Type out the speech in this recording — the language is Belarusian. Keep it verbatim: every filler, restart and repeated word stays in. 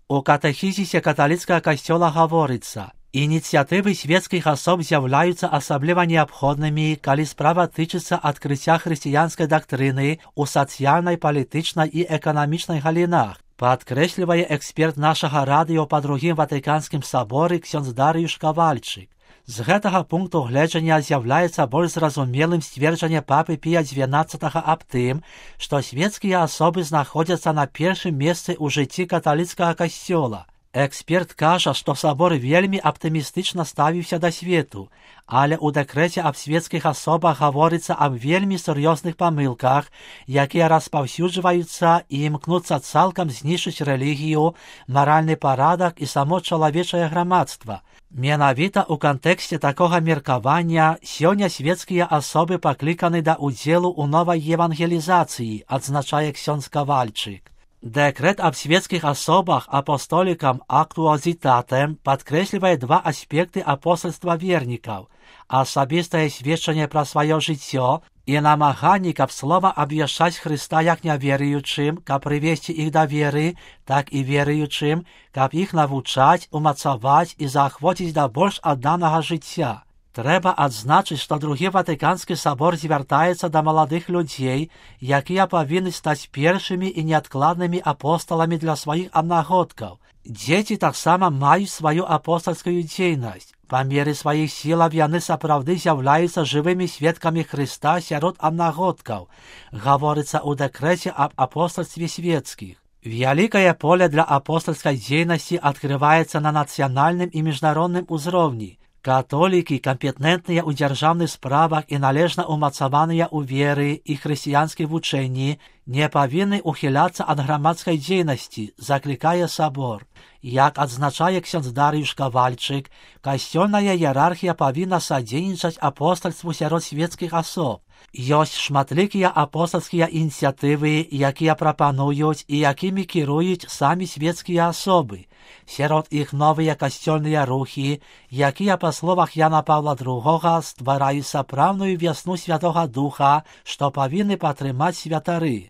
У катэхізісе каталіцкага касцёла гаворыцца: ініцыятывы свецкіх асоб з'яўляюцца асабліва неабходнымі, калі справа тычыцца адкрыцця хрысціянскай дактрыны ў сацыяльнай, палітычнай і эканамічнай галінах, падкрэслівае эксперт нашага радыё па другім ватыканскім саборы ксёндз Дарыюш Кавальчык. З гэтага пункту гледжання з'яўляецца больш зразумелым сцверджанне папы Пія дзевянаццатага аб тым, што свецкія асобы знаходзяцца на першым месцы ў жыцці каталіцкага касцёла. Эксперт кажа, што сабор вельмі аптымістычна ставіўся да свету, але ў дэкрэце аб свецкіх асобах гаворыцца аб вельмі сур'ёзных памылках, якія распаўсюджваюцца і імкнуцца цалкам знішчыць рэлігію, маральны парадак і само чалавечае грамадства. Менавіта ў кантэксце такога меркавання сёння свецкія асобы пакліканы да ўдзелу ў новай евангелізацыі, адзначае ксёндз Кавальчык. Дэкрэт аб свецкіх асобах апостолікам актуазітатем падкрэслівае два аспекты апостальства вернікаў: асабістае сведчанне пра сваё жыццё і намаганні, каб слова абвяшчаць Хрыста як няверуючым, каб прывесці іх да веры, так і веруючым, каб іх навучаць, умацаваць і заахвоціць да больш адданага жыцця. Трэба адзначыць, што другі ватыканскі сабор звяртаецца да маладых людзей, якія павінны стаць першымі і неадкладнымі апосталамі для сваіх аднагодкаў. Дзеці таксама маюць сваю апостальскую дзейнасць. Па меры сваіх сілаў яны сапраўды з'яўляюцца жывымі сведкамі Хрыста сярод аднагодкаў, гаворыцца ў дэкрэце аб апостальстве свецкіх. Вялікае поле для апостальскай дзейнасці адкрываецца на нацыянальным і міжнародным узроўні. Католікі, кампетэнтныя ў дзяржаўных справах і належна ўмацаваныя ў веры і хрысціянскай вучэнні, не павінны ухіляцца ад грамадскай дзейнасці, заклікае сабор. Як адзначае ксёндз Дарыюш Кавальчык, касцёльная іерархія павінна садзейнічаць апостальству сярод свецкіх асоб. Ёсць шматлікія апостальскія ініцыятывы, якія прапануюць і якімі кіруюць самі свецкія асобы. Сярод іх новыя касцёльныя рухі, якія, па словах Яна Паўла другога, ствараюць сапраўдную вясну Святога Духа, што павінны падтрымаць святары.